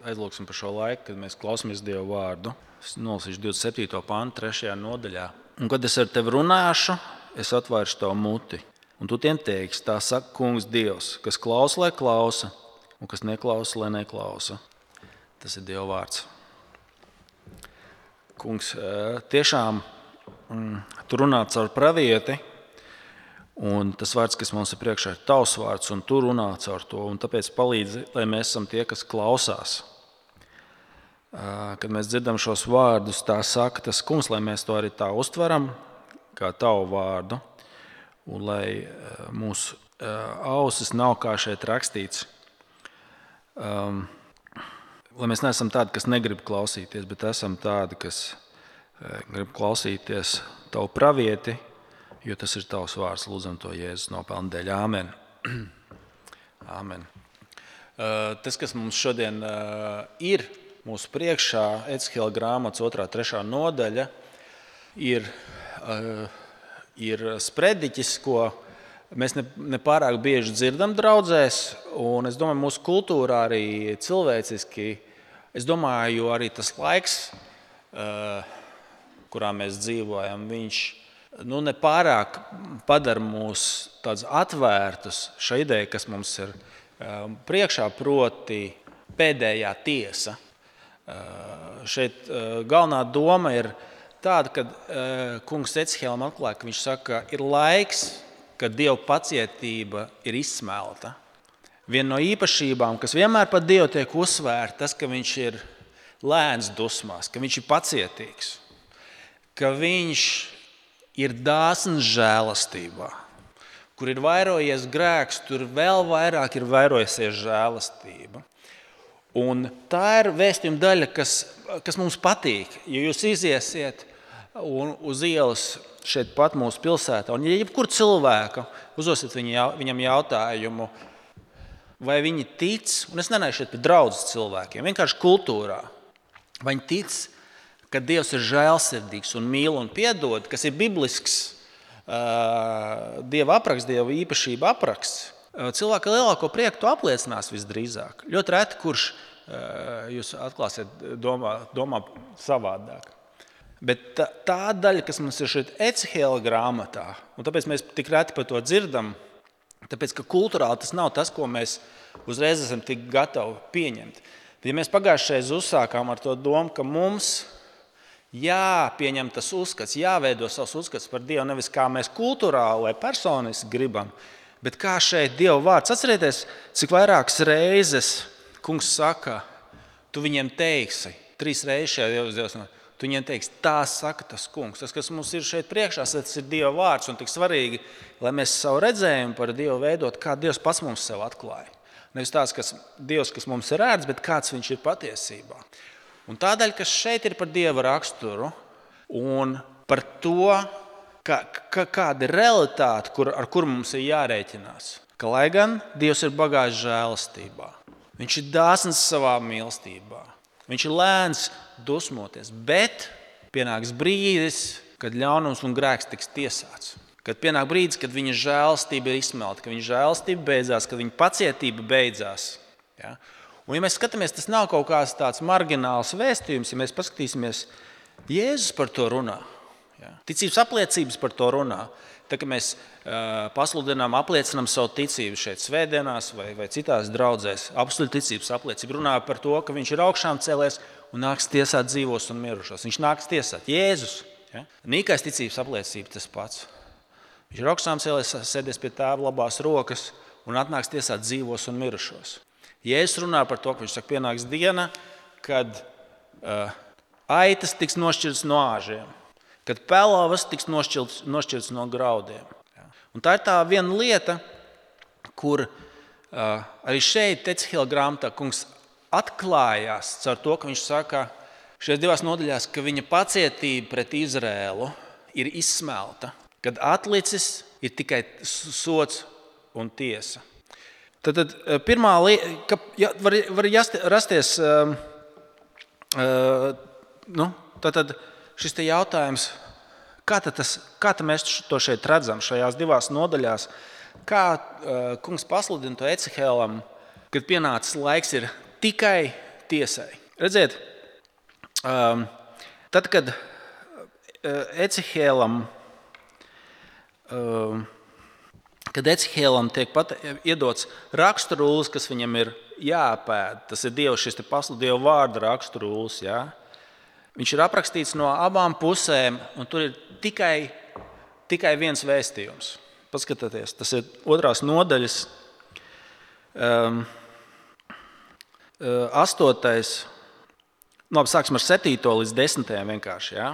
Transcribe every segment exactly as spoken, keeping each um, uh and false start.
aizlūksim par šo laiku, kad mēs klausāmies Dieva vārdu. Es nolasīšu divdesmit septīto pantu, trešajā nodaļā. Un, kad es ar tevi runāšu, es atvēršu tavu muti. Un tu tiem teiksi, tā saka Kungs Dievs, kas klausa, lai klausa, un kas neklausa, lai neklausa. Tas ir Dieva vārds. Kungs, tiešām tu runā caur pravieti, un tas vārds, kas mums ir priekšā, ir tavs vārds, un tu runā caur to. Un tāpēc palīdzi, lai mēs esam tie, kas klausās. Kad mēs dzirdam šos vārdus, tā saka tas Kungs, lai mēs to arī tā uztveram, kā tavu vārdu, un lai mūsu ausis nav kā šeit rakstīts. Um, lai mēs neesam tādi, kas negrib klausīties, bet esam tādi, kas grib klausīties tavu pravieti, jo tas ir tavs vārds. Lūdzam to Jēzus nopelna dēļ. Āmen. Āmen. Tas, kas mums šodien ir mūsu priekšā, Ecehēla grāmatas otrā, trešā nodaļa, ir, ir sprediķis, ko mēs ne, ne pārāk bieži dzirdam draudzēs, un es domāju, mūsu kultūrā arī cilvēciski, es domāju, arī tas laiks, kurā mēs dzīvojam, viņš nu, nepārāk padara mūs tādus atvērtus šai ideja, kas mums ir priekšā, proti pēdējā tiesa. Šeit galvenā doma ir tāda, ka kungs Ecehēlam atklāja, ka viņš saka, ir laiks, kad Dieva pacietība ir izsmelta. Viena no īpašībām, kas vienmēr par Dievu tiek uzsvērta, tas, ka viņš ir lēns dusmās, ka viņš ir pacietīgs, ka viņš ir dāsns žēlastībā. Kur ir vairojies grēks, tur vēl vairāk ir vairojusies žēlastība. Un tā ir vēstījuma daļa, kas, kas mums patīk. Ja jūs iziesiet un uz ielas šeit pat mūsu pilsētā, un ja jebkur cilvēku uzdosiet viņam jautājumu, vai viņi tic, un es nenāju šeit pie draudzes cilvēkiem, vienkārši kultūrā, vai viņi tic, ka Dievs ir žēlsirdīgs un mīl un piedod, kas ir biblisks uh, Dieva apraksts, Dieva īpašība apraksts, uh, cilvēka lielāko prieku to apliecinās visdrīzāk. Ļoti reti, kurš uh, jūs atklāsiet domā, domā savādāk. Bet tā, tā daļa, kas mums ir šeit Ecehēla grāmatā, un tāpēc mēs tik reti par to dzirdam, tāpēc, ka kultūrāli tas nav tas, ko mēs uzreiz esam tik gatavi pieņemt. Ja mēs pagājušais uzsākām ar to domu, ka mums jāpieņem tas uzskats, jāveido savs uzskats par Dievu, nevis kā mēs kultūrāli vai personiski gribam, bet kā šeit Dieva vārds. Atcerieties, cik vairākas reizes kungs saka, tu viņiem teiksi, trīs reizes šajā Dievs, tu viņiem teiksi, tā saka tas kungs. Tas, kas mums ir šeit priekšā, tas ir Dieva vārds, un tik svarīgi, lai mēs savu redzējumu par Dievu veidot, kā Dievs pats mums sev atklāja. Nevis tāds, kas Dievs, kas mums ir ērts, bet kāds viņš ir patiesībā. Un tādēļ, kas šeit ir par Dieva raksturu un par to, ka, ka, kāda ir realitāte, kur, ar kuru mums ir jārēķinās. Ka, lai gan Dievs ir bagāts žēlastībā, viņš ir dāsns savā mīlestībā, viņš ir lēns dusmoties, bet pienāks brīdis, kad ļaunums un grēks tiks tiesāts. Kad pienāk brīdis, kad viņa žēlastība ir izsmelta, kad viņa žēlastība beidzās, kad viņa pacietība beidzās. Ja? Un, ja mēs skatāmies, tas nav kaut kāds tāds margināls vēstījums, ja mēs paskatīsimies, Jēzus par to runā. Ja? Ticības apliecības par to runā. Tā, ka mēs uh, pasludinām, apliecinām savu ticību šeit svētdienās vai, vai citās draudzēs, apstuļu ticības apliecība runā par to, ka viņš ir augšām cēlies un nāks tiesāt dzīvos un mirušos. Viņš nāks tiesāt. Jēzus. Ja? Nīkais ticības apliecība tas pats. Viņš ir augšām cēlies, sēdies pie tēva labās rokas un atnāks tiesāt dzīvos un mirušos. Jēzus runā par to, ka viņš saka, pienāks diena, kad uh, aitas tiks nošķirtas no āžiem, kad pelavas tiks nošķirtas, nošķirtas no graudiem. Ja. Un tā ir tā viena lieta, kur uh, arī šeit Ecehēla grāmatā kungs atklājās caur to, ka viņš saka šajās divās nodaļās, ka viņa pacietība pret Izrēlu ir izsmelta, kad atlicis ir tikai sods un tiesa. Tad, tad pirmā lieta, ja, var, var rasties, uh, uh, nu, tad, tad šis te jautājums, kā tad, tas, kā tad mēs to šeit redzam šajās divās nodaļās, kā uh, kungs pasludina to Ecehēlam, kad pienācis laiks ir tikai tiesai. Redziet, um, tad, kad Ecihēlam, um, kad Ecihēlam tiek pat iedots raksturūlis, kas viņam ir jāpēd, tas ir Dievs, šis te pasludīja vārda raksturūlis, ja? Viņš ir aprakstīts no abām pusēm, un tur ir tikai, tikai viens vēstījums. Paskatieties, tas ir otrās nodaļas, um, astotais, no, sāksim ar septīto līdz desmitajam vienkārši. Ja?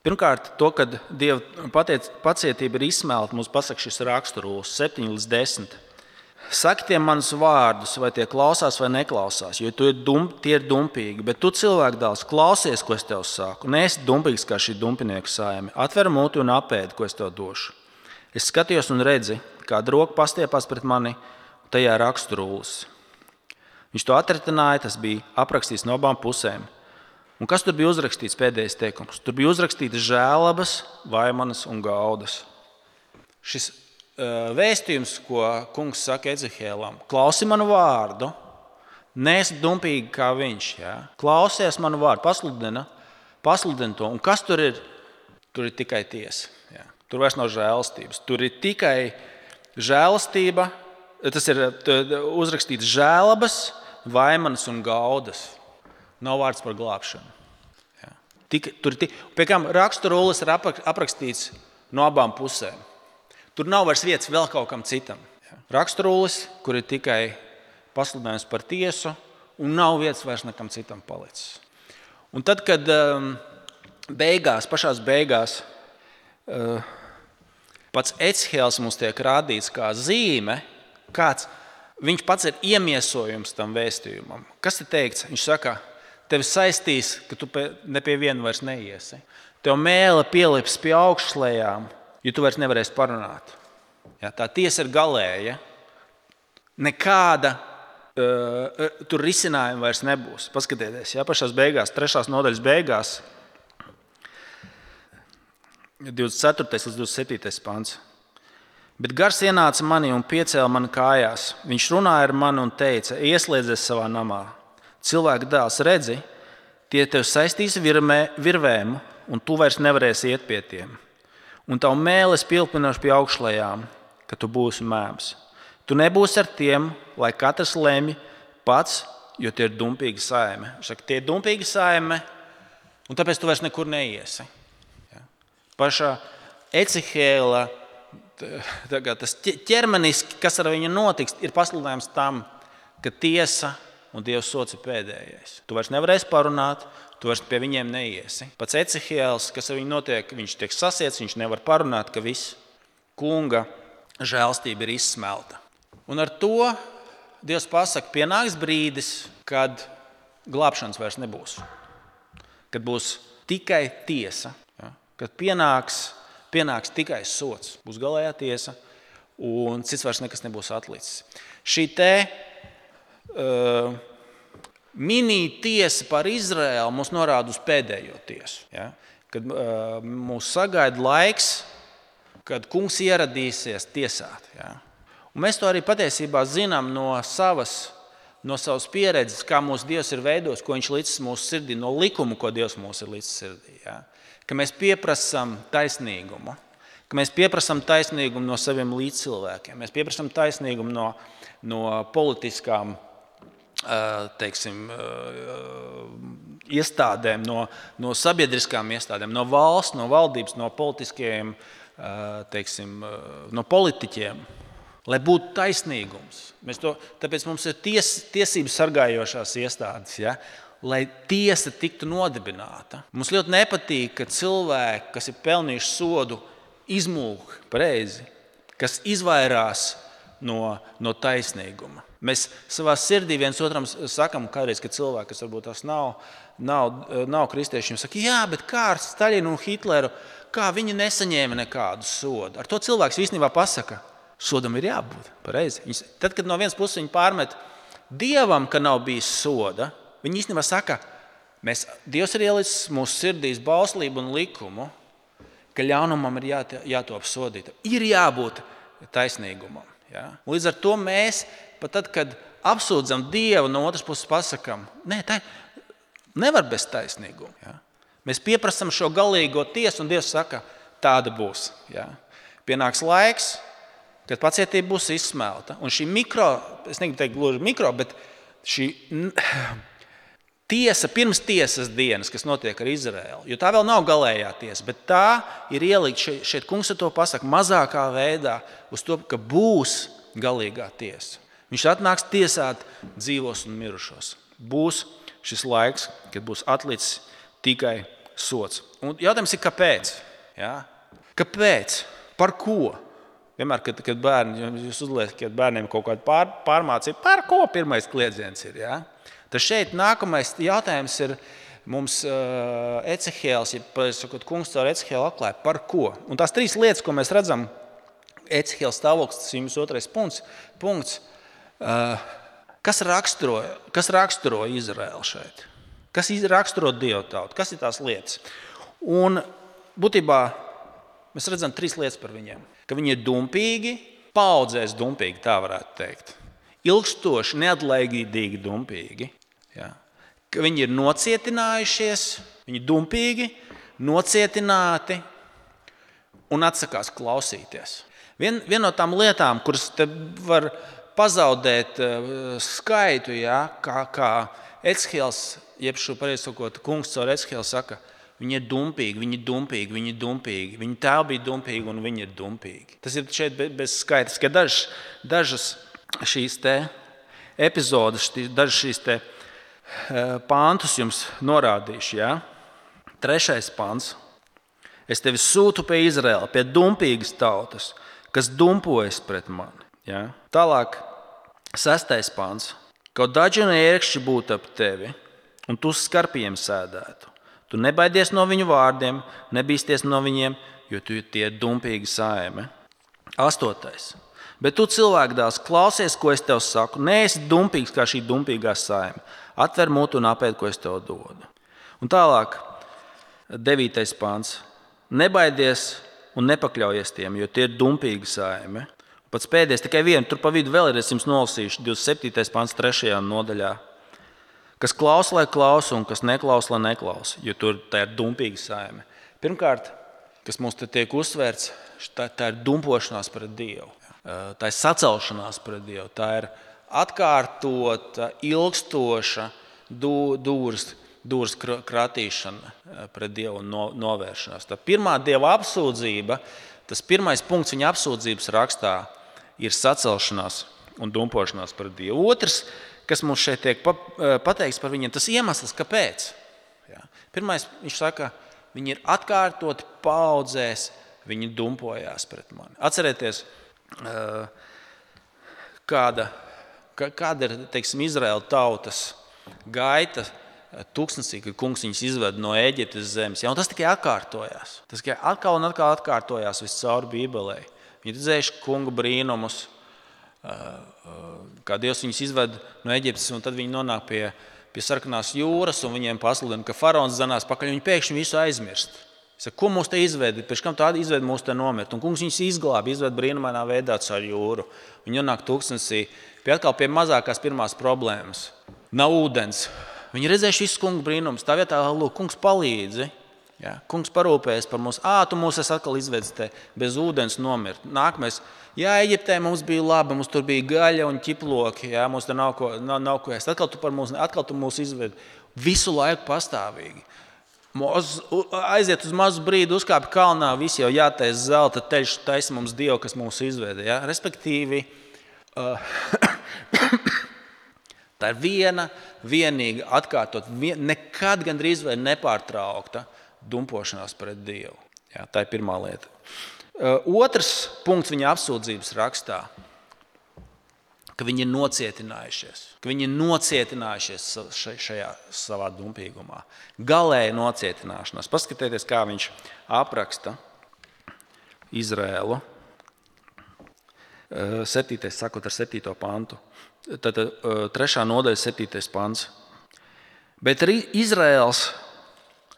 Pirmkārt, to, kad Dieva pacietība ir izsmelta, mums pasaka šis raksturūlis, septiņi līdz desmit. Saki tiem manus vārdus, vai tie klausās vai neklausās, jo tu ir dum, tie ir dumpīgi, bet tu cilvēku dēls klausies, ko es tev saku. Neesi dumpīgs kā šī dumpinieku saime. Atver muti un apēdi, ko es tev došu. Es skatījos un redzi, kāda roka pastiepās pret mani, un tajā raksturūlis. Viņš to atritināja, tas bija aprakstīts no abām pusēm. Un kas tur bija uzrakstīts pēdējais teikums? Tur bija uzrakstīts žēlabas, vaimanas un gaudas. Šis uh, vēstījums, ko kungs saka Ecihēlam, klausi manu vārdu, neesi dumpīgi kā viņš. Ja? Klausies manu vārdu, pasludina, pasludina to. Un kas tur ir? Tur ir tikai tiesa. Ja? Tur vairs nav žēlastības. Tur ir tikai žēlastība, tas ir uzrakstīts žēlabas, vaimanas un gaudas. Nav vārds par glābšanu. Ja. Tik, tur, tik, pie kām raksturūlis ir aprakstīts no abām pusēm. Tur nav vairs vietas vēl kaut kam citam. Ja. Raksturūlis, kur ir tikai pasludinājums par tiesu, un nav vietas vairs nekam citam palicis. Un tad, kad um, beigās, pašās beigās, uh, pats Ecihēls mums tiek rādīts kā zīme, kāds viņš pats ir iemiesojums tam vēstījumam. Kas ir teikts? Viņš saka, tevi saistīs, ka tu ne pie viena vairs neiesi. Tev mēle pielips pie augšslējām, jo tu vairs nevarēsi parunāt. Ja, tā tiesa ir galēja. Nekāda uh, tur risinājuma vairs nebūs. Paskatieties, ja, pašās beigās, trešās nodaļas beigās, divdesmit ceturtais līdz divdesmit septītais pants. Bet gars ienāca mani un piecēla mani kājās. Viņš runāja ar mani un teica, ieslēdzies savā namā. Cilvēka dēls redzi, tie tev saistīs virmē, virvēm, un tu vairs nevarēsi iet pie tiem. Un tavu mēles pilpinoši pie augšlējām, ka tu būsi mēms. Tu nebūsi ar tiem, lai katrs lemj pats, jo tie ir dumpīgi saime. Viņš saka, tie ir dumpīgi saime, un tāpēc tu vairs nekur neiesi. Ja? Pašā Ecihēla tas ķermeniski, kas ar viņu notiks, ir pasludinājums tam, ka tiesa un Dievs sots ir pēdējais. Tu vairs nevarēsi parunāt, tu vairs pie viņiem neiesi. Pats Ecihēls, kas ar viņu notiek, viņš tiek sasiets, viņš nevar parunāt, ka viss kunga žēlstība ir izsmelta. Un ar to Dievs pasaka, pienāks brīdis, kad glābšanas vairs nebūs. Kad būs tikai tiesa, ja? Kad pienāks Pienāks tikai sots, būs galējā tiesa, un cits vairs nekas nebūs atlicis. Šī te uh, mini tiesa par Izraēlu mums norāda uz pēdējo tiesu. Ja? Kad uh, mūs sagaida laiks, kad kungs ieradīsies tiesāt. Ja? Un mēs to arī patiesībā zinām no savas, no savas pieredzes, kā mūsu Dievs ir veidojis, ko viņš licis mūsu sirdī, no likuma, ko Dievs mūs ir licis sirdī. Ja? Ka mēs pieprasam taisnīgumu, ka mēs pieprasam taisnīgumu no saviem līdzcilvēkiem, mēs pieprasam taisnīgumu no, no politiskām teiksim, iestādēm, no, no sabiedriskām iestādēm, no valsts, no valdības, no politiskiem, teiksim, no politiķiem, lai būtu taisnīgums. Mēs to, tāpēc mums ir ties, tiesības sargājošās iestādes, ja? Lai tiesa tiktu nodibināta. Mums ļoti nepatīk, ka cilvēki, kas ir pelnījuši sodu, izmūk pareizi, kas izvairās no, no taisnīguma. Mēs savā sirdī viens otram sakam, kādreiz, ka cilvēki, kas varbūt tās nav, nav, nav kristieši, saka, jā, bet kā ar Staļinu un Hitleru, kā viņi nesaņēma nekādu sodu. Ar to cilvēks īstenībā pasaka, sodam ir jābūt pareizi. Tad, kad no vienas puses viņi pārmet Dievam, ka nav bijis soda, viņi īstenībā saka, mēs, Dievs ir ielicis mūsu sirdīs bauslību un likumu, ka ļaunumam ir jā, jātop sodītam. Ir jābūt taisnīgumam. Ja? Līdz ar to mēs, pat tad, kad apsūdzam Dievu, no otras puses pasakam, nē, tā nevar bez taisnīguma. Ja? Mēs pieprasam šo galīgo tiesu, un Dievs saka, tāda būs. Ja? Pienāks laiks, kad pacietība būs izsmelta. Un šī mikro, es negribu teikt gluži mikro, bet šī tiesa pirms tiesas dienas, kas notiek ar Izraēlu, jo tā vēl nav galējā tiesa, bet tā ir ielikt šeit, šeit kungs to pasaka mazākā veidā uz to, ka būs galīgā tiesa. Viņš atnāks tiesāt dzīvos un mirušos. Būs šis laiks, kad būs atlicis tikai sots. Un jautājums ir, kāpēc? Ja? Kāpēc? Par ko? Vienmēr, kad, kad bērni, jūs uzliekat bērniem kaut kādu pār, pārmācību, par ko pirmais kliedziens ir? Ja? Tad šeit nākamais jautājums ir mums uh, Ecehēls, ja sakot, kungs caur Ecehēlu atklāja, par ko? Un tās trīs lietas, ko mēs redzam, Ecehēla stāvoklis, tas ir otrais punkts, punkts uh, kas, raksturo, kas raksturo Izraēlu šeit? Kas raksturo Dievu tautu? Kas ir tās lietas? Un būtībā mēs redzam trīs lietas par viņiem. Ka viņi ir dumpīgi, paudzēs dumpīgi, tā varētu teikt. Ilgstoši, neatlaidīgi dumpīgi. Ja. Ka viņi ir nocietinājušies, viņi ir dumpīgi, nocietināti un atsakās klausīties. Vien, viena no tām lietām, kuras te var pazaudēt uh, skaitu, ja, kā, kā Ecehēls, jeb šo pareizi sakot, kungs caur Ecehēlu saka, viņi ir dumpīgi, viņi ir dumpīgi, viņi ir dumpīgi, viņi tā bija dumpīgi un viņi ir dumpīgi. Tas ir šeit bez skaitas, ka dažas, dažas šīs te epizodes, dažas šīs te pāntus jums norādīšu. Ja? Trešais pāns. Es tevi sūtu pie Izraēla, pie dumpīgas tautas, kas dumpojas pret mani. Ja? Tālāk, sestais pāns. Kaut daži un ērkšķi būtu ap tevi, un tu skarpiem sēdētu. Tu nebaidies no viņu vārdiem, nebīsties no viņiem, jo tu tie ir dumpīgi saime. Astotais. Bet tu cilvēku dēls, klausies, ko es tev saku. Neesi dumpīgs kā šī dumpīgā saime. Atver mutu un apēd, ko es tev dodu. Un tālāk, devītais pāns. Nebaidies un nepakļaujies tiem, jo tie ir dumpīgi saime. Pats pēdējais, tikai vienu, tur pa vidu vēl ir, es jums nolasīšu, divdesmit septītais pāns trešajā nodaļā. Kas klausa, lai klausa, un kas neklausa, lai neklausa, jo tur tā ir dumpīga saime. Pirmkārt, kas mums te tiek uzsvērts, tā, tā ir dumpošanās pret Dievu. Tā ir sacelšanās pret Dievu. Tā ir atkārtota, ilgstoša dūrs, dūrs kratīšana pret Dievu un novēršanās. Tā pirmā Dieva apsūdzība, tas pirmais punkts viņa apsūdzības rakstā ir sacelšanās un dumpošanās pret Dievu. Otrs, kas mums šeit tiek pateikts par viņiem, tas iemesls, kāpēc. Ja. Pirmais, viņš saka, viņi ir atkārtoti paudzēs, viņi dumpojās pret mani. Atcerieties, kāda, kāda ir, teiksim, Izraēla tautas gaita tūkstnesī, kad kungs viņus izved no Ēģiptes zemes. Ja, un tas tikai atkārtojās. Tas tikai atkal un atkal atkārtojās viscaur Bībelē. Viņi redzējuši kunga brīnumus, kā Dievs viņus izved no Ēģiptes, un tad viņi nonāk pie, pie sarkanās jūras, un viņiem pasludina, ka faraons zanās pakaļ, viņi pēkšņi visu aizmirst. Saka, ko mūs te izvedi? Pēc kam tāda izvedi mūs te nomirt? Un kungs viņus izglāba, izved brīnumainā veidā caur jūru. Viņi nonāk tūkstnesī pie atkal pie mazākās pirmās problēmas. Nav ūdens. Viņi redzējuši visu kungu brīnumus. Tā vietā, lūk, kungs palīdzi. Ja? Kungs parūpējas par mums. Ā, tu mūs esi atkal izvedis te bez ūdens nomirt. Nākamais. Jā, Eģiptē mums bija labi, mums tur bija gaļa un ķiploki. Jā, mums te nav ko, nav, nav ko ēst. Atkal tu, par mūs, atkal tu mūs izvedi. Visu laiku pastāvīgi. Mūs aiziet uz mazu brīdi, uzkāpj kalnā, visi jau jātais zelta teļš, taisa mums Dievu, kas mūs izveda. Ja? Respektīvi, uh, tā ir viena, vienīga, atkārtot, vien, nekad gandrīz vai nepārtraukta dumpošanās pret Dievu. Ja? Tā ir pirmā lieta. Uh, otrs punkts viņa apsūdzības rakstā, ka viņi ir nocietinājušies, ka viņi ir nocietinājušies šajā savā dumpīgumā. Galēja nocietināšanās. Paskatieties, kā viņš apraksta Izraēlu. Septītais, sakot ar septīto pantu. Tad trešā nodaļa, septītais pants. Bet Izraēls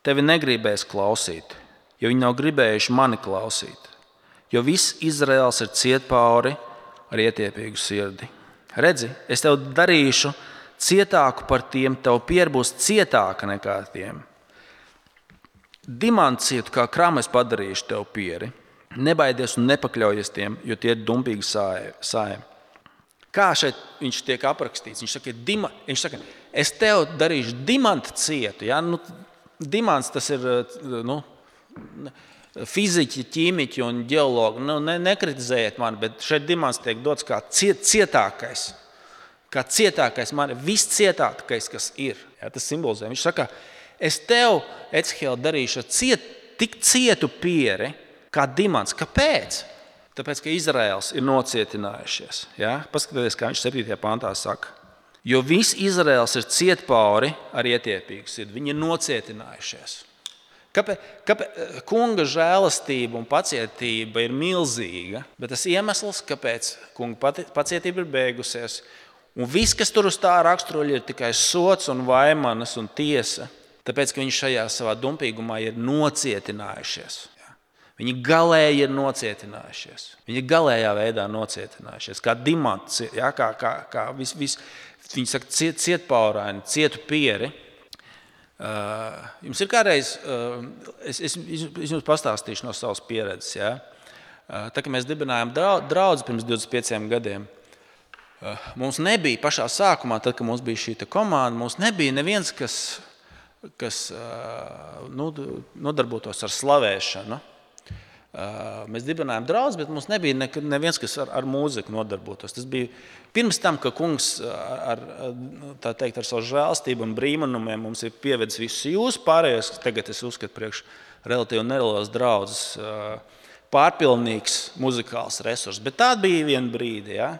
tevi negribēs klausīt, jo viņi nav gribējuši mani klausīt. Jo viss Izraēls ir ciet pauri ar ietiepīgu sirdi. redzi, es tev darīšu cietāku par tiem, tev piera būs cietāka nekā tiem. Dimantcietu kā kramu es padarīšu tev pieri. Nebaidies un nepakļaujies tiem, jo tie ir dumpīgi sājumi. Kā šeit viņš tiek aprakstīts? Viņš saka, dima, viņš saka es tev darīšu dimantu cietu. Ja? Nu, dimants tas ir nu, fiziķi, ķīmiķi un ģeologi. Nu, ne, nekritizējiet mani, bet šeit dimants tiek dots kā ciet, cietākais. Kā cietākais, man ir viscietākais, kas ir. Ja? Tas simbolizē. Viņš saka, es tev, Ecihēl, darīšu ciet, tik cietu pieri, kā dimants. Kāpēc? Tāpēc, ka Izraels ir nocietinājušies. Ja? Paskatieties, kā viņš septītajā pantā saka. Jo viss Izraels ir cietpauri ar ietiepīgu sirdi. Viņi ir nocietinājušies. Kāpēc? Kāpēc? Kunga žēlastība un pacietība ir milzīga, bet tas iemesls, kāpēc kunga pacietība ir beigusies, un viss, kas tur uz tā raksturoļa, ir tikai sots un vaimanas un tiesa, tāpēc, ka viņi šajā savā dumpīgumā ir nocietinājušies. Viņi galēji ir nocietinājušies. Viņi ir galējā veidā nocietinājušies. Kā dimants, ja, kā, kā, kā vis, vis, viņi saka ciet, cietpauraini, cietu pieri. Uh, jums ir kādreiz, uh, es, es, es jums pastāstīšu no savas pieredzes. Ja. Uh, tā, kad mēs dibinājām draudzi pirms divdesmit pieciem gadiem, uh, mums nebija pašā sākumā, tad, kad mums bija šī komanda, mums nebija neviens, kas, kas uh, nu, nodarbotos ar slavēšanu. Mēs dibinājām draudzi, bet mums nebija neviens, kas ar, ar mūziku nodarbotos. Tas bija pirms tam, ka kungs ar, tā teikt, ar savu žēlstību un brīnumiem mums ir pievedis visus jūs pārējos, tagad es uzskatu priekš relatīvi nelielas draudzes pārpilnīgs muzikāls resurs. Bet tā bija viena brīdi, ja?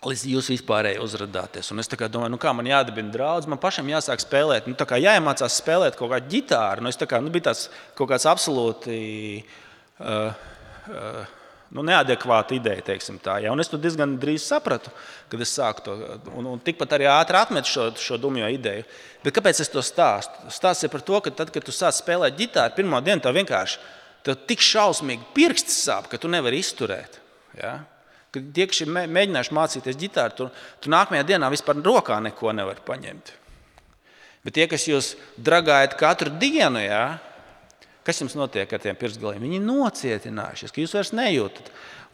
Līdz jūs vispārēji uzradāties. Un es tā kā domāju, nu kā man jādibina draudz, man pašam jāsāk spēlēt, nu tā kā jāiemācās spēlēt kaut kādu ģitāru. Nu es tā kā, nu bija tāds kaut kāds absolūti Uh, uh, nu, neadekvāta ideja, teiksim tā. Ja? Un es to diezgan drīz sapratu, kad es sāku to, un, un tikpat arī ātri atmetu šo, šo dumjo ideju. Bet kāpēc es to stāstu? Stāsts ir par to, ka tad, kad tu sāc spēlēt ģitāru, pirmo dienu tev vienkārši tev tik šausmīgi pirksti sāp, ka tu nevari izturēt. Ja? Kad tie, kas ir mēģinājuši mācīties ģitāru, tu, tu nākamajā dienā vispār rokā neko nevar paņemt. Bet tie, kas jūs dragājat katru dienu, ja? Kas jums notiek ar tiem pirkstgaliem? Viņi ir nocietinājušies, ka jūs vairs nejūtat.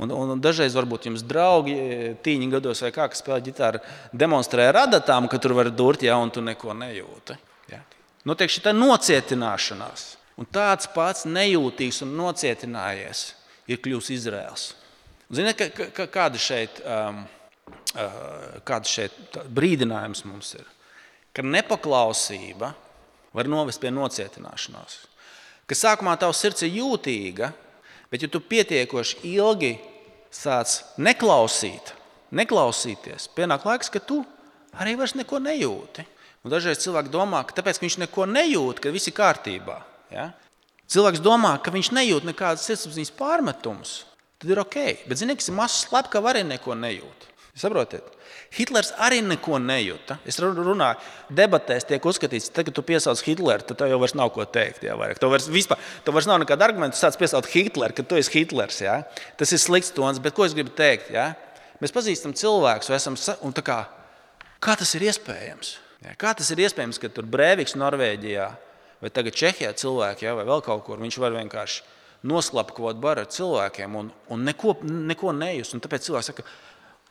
Un, un dažreiz varbūt jums draugi tīņi gados vai kā, kas spēlē ģitāru, demonstrē radatām, ka tur var durt, ja, un tu neko nejūti. Ja. Notiek šī nocietināšanās. Un tāds pats nejūtīgs un nocietinājies ir kļūs Izraels. Ziniet, ka, ka, kāda šeit, um, uh, kāda šeit brīdinājums mums ir? Ka nepaklausība var novest pie nocietināšanās. Ka sākumā tavs sirds ir jūtīga, bet ja tu pietiekoši ilgi sāc neklausīt, neklausīties, pienāk laiks, ka tu arī vairs neko nejūti. Un dažreiz cilvēki domā, ka tāpēc, ka viņš neko nejūt, ka viss ir kārtībā. Ja? Cilvēks domā, ka viņš nejūt nekādas sirdsapziņas pārmetumus, tad ir ok. Bet zini, kas ir mazs slepkava arī neko nejūt. Saprotiet? Hitlers arī neko nejūta. Es runāju, debatēs tiek uzskatīts, tad, kad tu piesauc Hitleru, tad tev jau vairs nav ko teikt. Jā, tev, vairs, vispār, tev vairs nav nekāda argumenta, tu sāc piesaukt Hitleru, ka tu esi Hitlers. Jā. Tas ir slikts tons, bet ko es gribu teikt? Jā? Mēs pazīstam cilvēkus, esam, un tā kā, kā tas ir iespējams? Jā? Kā tas ir iespējams, ka tur Breiviks Norvēģijā vai tagad Čehijā cilvēki, jā, vai vēl kaut kur, viņš var vienkārši noslapkot baru ar cilvēkiem un, un neko, neko nejust. Un tāpēc cilvēki saka,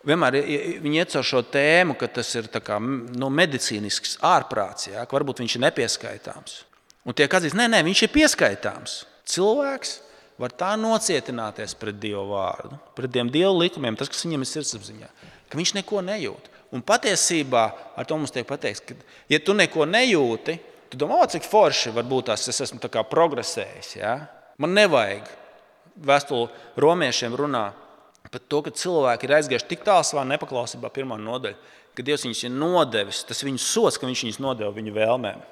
vienmēr viņi iet caur šo tēmu, ka tas ir tā kā, nu, medicīnisks ārprāts, ja, ka varbūt viņš ir nepieskaitāms. Un tiek atzīst, nē, nē, viņš ir pieskaitāms. Cilvēks var tā nocietināties pret Dievu vārdu, pret tiem Dievu likumiem, tas, kas viņam ir sirdsapziņā, ka viņš neko nejūt. Un patiesībā ar to mums tiek pateikts, ka, ja tu neko nejūti, tu domā, o, cik forši varbūt tās es esmu tā kā progresējis. Ja? Man nevajag. Vēstule romiešiem runā par to, ka cilvēki ir aizgājuši tik tālu savā nepaklausībā pirmā nodaļa, ka Dievs viņus ir nodevis, tas viņu sots, ka viņš viņus nodeva viņu vēlmēm.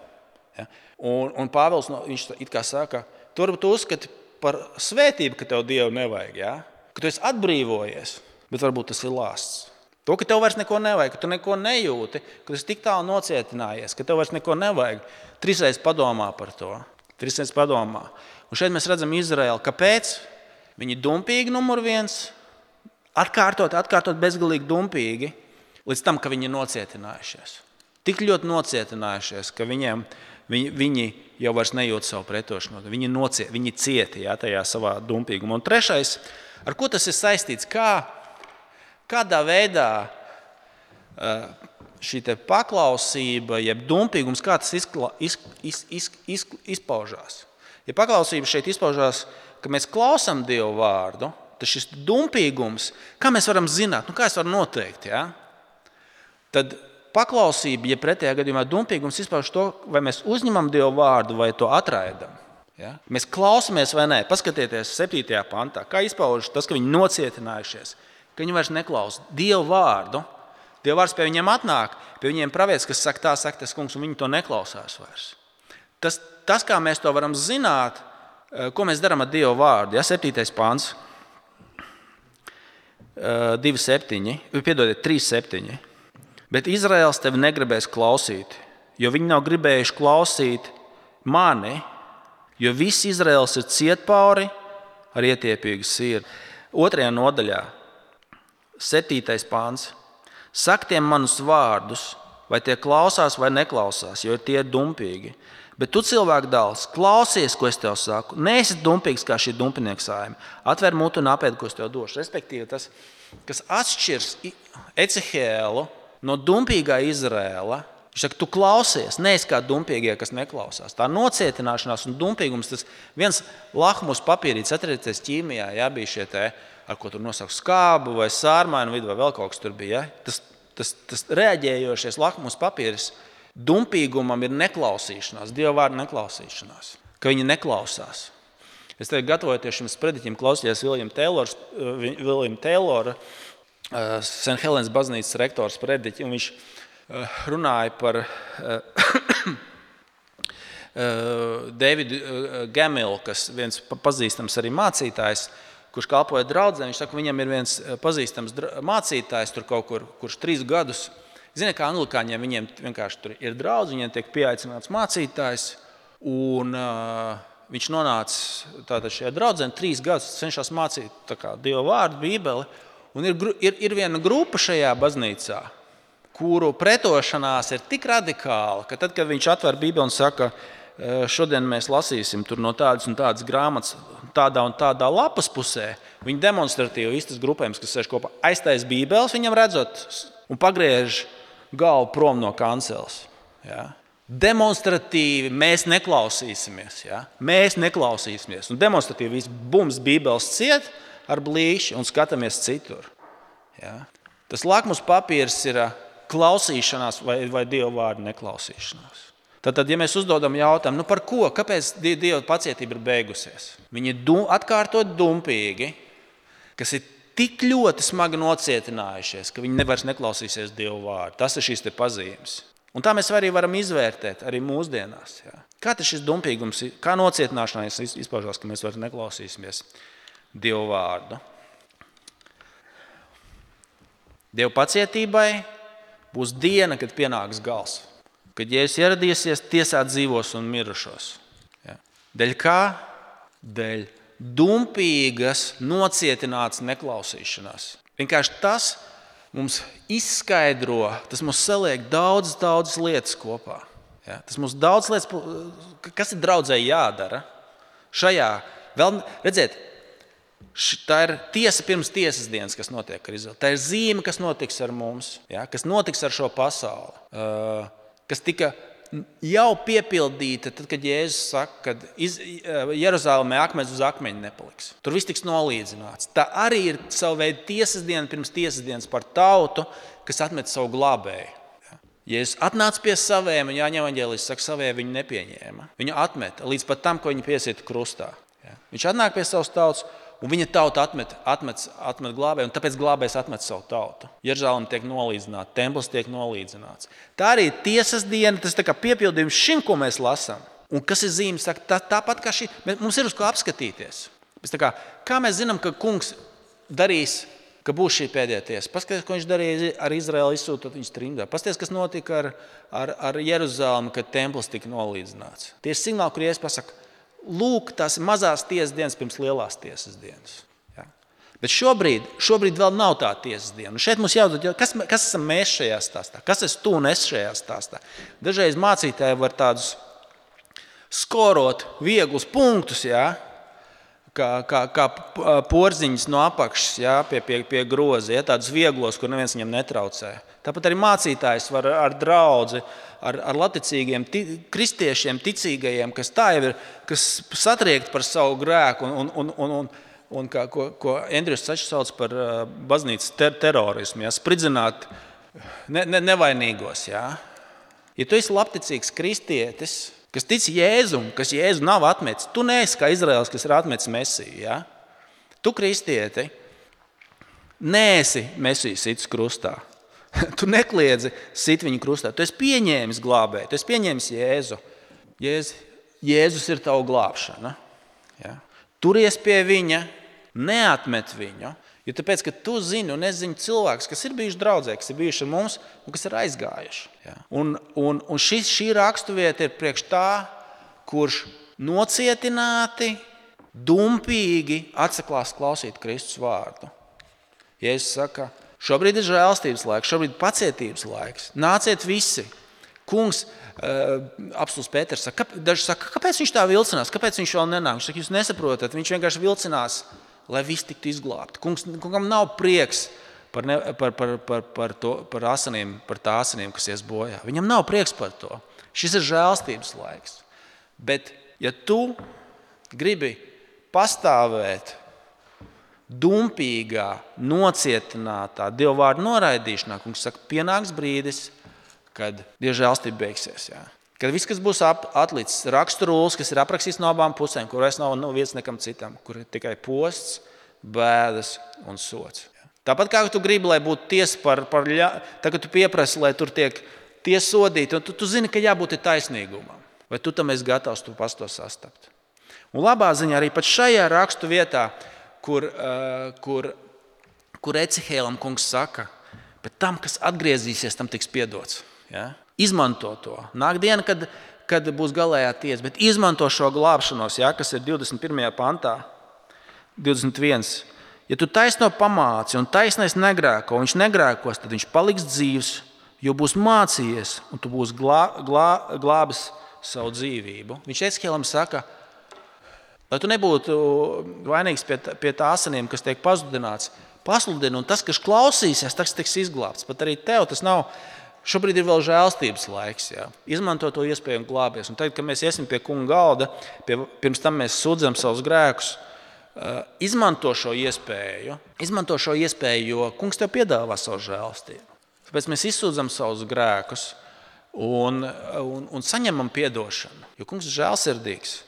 Ja? Un, un Pāvils, viņš it kā saka, tu varbūt uzskati par svētību, ka tev Dievu nevajag, ja? Ka tu esi atbrīvojies, bet varbūt tas ir lāsts. To, ka tev vairs neko nevajag, ka tu neko nejūti, ka tu esi tik tālu nocietinājies, ka tev vairs neko nevajag, trīsreiz padomā par to. Trīsreiz padomā. Un šeit mēs redzam Izraēlu. Kāpēc? Viņi dumpīgi numur viens, atkārtot, atkārtot bezgalīgi dumpīgi. līdz tam, ka viņi ir nocietinājušies. Tik ļoti nocietinājušies, ka viņiem, viņi, viņi jau vairs nejūt savu pretošanos. Viņi, nociet, viņi cieti jā, tajā savā dumpīgumā. Un trešais, ar ko tas ir saistīts, kā, kādā veidā šī te paklausība, jeb dumpīgums, kā tas izkla, iz, iz, iz, iz, izpaužās. Ja paklausība šeit izpaužās, ka mēs klausām Dievu vārdu, tad šis dumpīgums, kā mēs varam zināt, nu kā es varu noteikt, ja? Tad paklausība, ja pretējā gadījumā dumpīgums izpauž to, vai mēs uzņemam Dievu vārdu, vai to atraidam. Ja? Mēs klausamies vai nē. Paskatieties septītajā pantā, kā izpauž tas, ka viņi nocietinājušies, ka viņi vairs neklausa Dievu vārdu. Dievu vārds pie viņiem atnāk, pie viņiem pravietis, kas saka, tā saka tas kungs, un viņi to neklausās vairs. Tas, tas kā mēs to varam zināt, ko mēs darām ar Dievu vārdu. Ja? septītais pants, divi septiņi, piedodiet, trīs septiņi. Bet Izraels tevi negribēs klausīt, jo viņi nav gribējuši klausīt mani, jo viss Izraels ir cietpauri ar ietiepīgu sirdi. Otrajā nodaļā, septītais pants. Sak tiem manus vārdus, vai tie klausās vai neklausās, jo tie ir dumpīgi. Bet tu, cilvēku dēls, klausies, ko es tev saku. Neesi dumpīgs kā šī dumpinieka saime. Atver mutu un apēd, ko es tev došu. Respektīvi, tas, kas atšķirs Ecehēlu no dumpīgā Izraēla, viņš saka, tu klausies, neesi kā dumpīgie, kas neklausās. Tā nocietināšanās un dumpīgums, tas viens lahmus papīrīts, atcerieties ķīmijā, jā, bija šie te, ar ko tur nosaka skābu vai sārmainu vidu vai vēl kaut kas tur bija. Ja? Tas, tas, tas reaģējošies lahmus papīris dumpīgumam ir neklausīšanās, Dieva vārda neklausīšanās, ka viņi neklausās. Es tevi gatavojoties šim sprediķim klausījos Viljama Taylora, Viljama Taylora Saint Helens baznīcas rektors sprediķi, un viņš runāja par Davidu Gamilu, kas viens pazīstams arī mācītājs, kurš kalpoja draudzē. Viņš saka, viņam ir viens pazīstams mācītājs, tur kaut kur, kurš trīs gadus. Ziniet, kā anglikāņiem, viņiem vienkārši tur ir draudz, viņiem tiek pieaicināts mācītājs, un uh, viņš nonāca tātad šajā draudzē, trīs gadus cenšas mācīt tā kā Dieva vārdu, Bībeli, un ir, ir, ir viena grupa šajā baznīcā, kuru pretošanās ir tik radikāla, ka tad, kad viņš atver Bībeli un saka, šodien mēs lasīsim tur no tādas un tādas grāmatas tādā un tādā lapas pusē, viņi demonstratīvi vistas grupējums, kas sēž kopā, aiztais Bībeles, viņam redzot un pagriež galvu prom no kanceles. Ja? Demonstratīvi mēs neklausīsimies. Ja? Mēs neklausīsimies. Un demonstratīvi viss bums Bībeles ciet ar blīši un skatāmies citur. Ja? Tas lakmus papīrs ir klausīšanās vai, vai Dieva vārdu neklausīšanās. Tad, ja mēs uzdodam jautājumu, nu par ko, kāpēc Dieva pacietība ir beigusies? Viņi ir dum, atkārtot dumpīgi, kas ir tik ļoti smagi nocietinājušies, ka viņi nevairs neklausīsies Dieva vārdu. Tas ir šīs te pazīmes. Un tā mēs arī varam izvērtēt arī mūsdienās. Jā. Kā tas šis dumpīgums, kā nocietināšanās izpaužās, ka mēs vairs neklausīsimies Dieva vārdu? Dieva pacietībai būs diena, kad pienāks gals. Kad Jēzus ieradīsies tiesāt dzīvos un mirušos. Ja. Dēļ kā? Dēļ dumpīgas, nocietināts neklausīšanās. Vienkārši tas mums izskaidro, tas mums saliek daudz, daudz lietas kopā. Ja. Tas mums daudz lietas, kas ir draudzē jādara. Šajā, vēl, redziet, tā ir tiesa pirms tiesas dienas, kas notiek ar Izraeli. Tā ir zīme, kas notiks ar mums, ja, kas notiks ar šo pasauli. Uh, kas tika jau piepildīta, tad, kad Jēzus saka, ka Jeruzalemē akmens uz akmeņa nepaliks. Tur viss tiks nolīdzināts. Tā arī ir savu veidu tiesas diena pirms tiesas dienas par tautu, kas atmet savu glābēju. Jēzus atnāca pie saviem, un Jāņa evaņģēlijs saka, savie viņu nepieņēma. Viņu atmeta līdz pat tam, ko viņi piesieta krustā. Viņš atnāk pie savas tautas, un viņa tauta atmet, atmet, atmet glābēju, un tāpēc glābējs atmet savu tautu. Jeruzaleme tiek nolīdzināta, templis tiek nolīdzināts. Tā arī ir tiesas diena, tas tā kā piepildījums šim, ko mēs lasām. Un kas ir zīme? Saka, tā, tāpat kā šī, mums ir uz ko apskatīties. Mēs tā kā, kā mēs zinām, ka kungs darīs, ka būs šī pēdējā tiesa? Paskaties, ko viņš darīja ar Izraēlu, izsūtot viņus trimdā. Paskaties, kas notika ar, ar, ar Jeruzalemi, kad templis tika nolīdzināts. Tie ir signāli, kur Jēzus pasaka, lūk, tās mazās tiesas dienas pirms lielās tiesas dienas. Ja? Bet šobrīd, šobrīd vēl nav tā tiesas diena. Un šeit mums jāuzdod, kas, kas esam mēs šajā stāstā? Kas es tu un es šajā stāstā? Dažreiz mācītāji var tādus skorot vieglus punktus, jā, kā, kā, kā porziņas no apakšas, jā, pie, pie, pie groza, jā, tādus vieglos, kur neviens viņam netraucē. Tāpat arī mācītājs var ar draudzi, ar, ar laticīgiem ti, kristiešiem, ticīgajiem, kas tā jau ir, kas satriekt par savu grēku un, un, un, un Un kā, ko, ko Andrijs Sačs sauc par uh, baznīcas ter terorismu, ja, spridzināt ne, ne, nevainīgos. Ja. Ja tu esi labticīgs kristietis, kas tic Jēzum, kas Jēzu nav atmetis, tu neesi kā Izraels, kas ir atmetis Mesiju. Ja. Tu, kristieti, neesi Mesiju sits krustā. Tu nekliedzi sit viņu krustā. Tu esi pieņēmis glābēju, tu esi pieņēmis Jēzu. Jēz, Jēzus ir tavu glābšana. Ja. Turies pie viņa. Neatmet viņu, jo tāpēc, ka tu zini un es zinu cilvēkus, kas ir bijuši draudzē, kas ir bijuši ar mums un kas ir aizgājuši. Ja. Un, un, un šis, šī raksturvieta ir priekš tā, kurš nocietināti, dumpīgi atsaklās klausīt Kristus vārdu. Jēzus saka, šobrīd ir žēlstības laiks, šobrīd ir pacietības laiks. Nāciet visi. Kungs, apstults Pēters saka, daži saka, kāpēc viņš tā vilcinās, kāpēc viņš vēl nenāk? Viņš saka, jūs nesaprotat, viņš vienkārši vilcinās, lai viss tiktu izglābti. Kungs, kungam nav prieks par, ne, par, par, par, par, to, par asinīm, par tā asinīm, kas ies bojā. Viņam nav prieks par to. Šis ir žēlstības laiks. Bet, ja tu gribi pastāvēt dumpīgā, nocietinātā Dieva vārdu noraidīšanā, kungs saka, pienāks brīdis, kad Dieva žēlstība beigsies. Jā. Kad viss, kas būs atlicis, raksturulis, kas ir aprakstīts no abām pusēm, kur vairs nav vietas nekam citam, kur ir tikai posts, bēdas un sots. Tāpat kā tu gribi, lai būtu tiesa par, par ļa... Tagad tu pieprasi, lai tur tiek tiesa sodīta, un tu, tu zini, ka jābūt taisnīgumam. Vai tu tam esi gatavs tu pats to sastapt? Un labā ziņā arī pat šajā rakstu vietā, kur, uh, kur, kur Ecihēlam kungs saka, bet tam, kas atgriezīsies, tam tiks piedots. Ja? Izmanto to. Nāk diena, kad, kad būs galējā tiesa, bet izmanto šo glābšanos, ja, kas ir divdesmit pirmajā pantā, divdesmit viens. Ja tu taisno pamāci un taisnais negrēko, viņš negrēkos, tad viņš paliks dzīvs, jo būs mācījies un tu būs glā, glā, glābis savu dzīvību. Viņš Ecihēlam saka, lai tu nebūtu vainīgs pie, pie tā asinīm, kas tiek pazudināts, pasludini, un tas, kas klausīsies, tas tiks izglābts. Pat arī tev tas nav. Šobrīd ir vēl žēlstības laiks. Jā. Izmanto to iespēju un glābies. Un tagad, kad mēs iesim pie kunga galda, pie, pirms tam mēs sūdzam savus grēkus, uh, izmanto šo iespēju, izmanto šo iespēju, jo kungs tev piedāvā savu žēlstību. Tāpēc mēs izsūdzam savus grēkus un, un, un saņemam piedošanu, jo kungs ir žēlsirdīgs.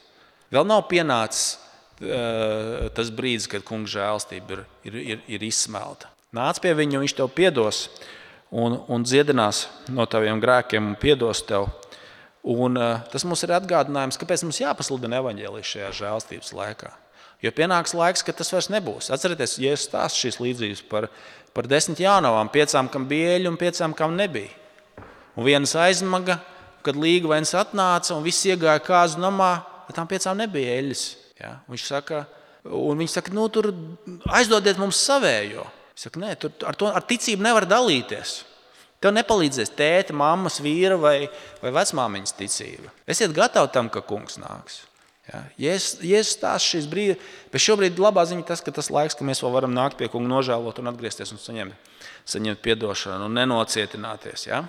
Vēl nav pienācis uh, tas brīdis, kad kunga žēlstība ir, ir, ir, ir izsmelta. Nāc pie viņa, viņš tev piedos. Un, un dziedinās no taviem grēkiem un piedos tev. Un, uh, tas mums ir atgādinājums, kāpēc mums jāpasludina evaņģēlijas šajā žēlstības laikā. Jo pienāks laiks, kad tas vairs nebūs. Atcerieties, Jēzus stāsta šīs līdzības par, par desmit jaunavām, piecām, kam bija eļļa un piecām, kam nebija. Un vienas aizmaga, kad līgavainis atnāca un viss iegāja kāzu namā, bet tām piecām nebija eļļas. Ja? Viņš saka, un viņi saka, nu tur aizdodiet mums savējo. Es saku, nē, tur, ar, to, ar ticību nevar dalīties. Tev nepalīdzēs tēta, mammas, vīra vai, vai vecmāmiņas ticība. Esiet gatavi tam, ka kungs nāks. Ja? Jēzus stāsta šīs brīdi, bet šobrīd labā ziņa tas, ka tas laiks, ka mēs vēl varam nākt pie kunga nožēlot un atgriezties un saņemt, saņemt piedošanu un nenocietināties. Ja?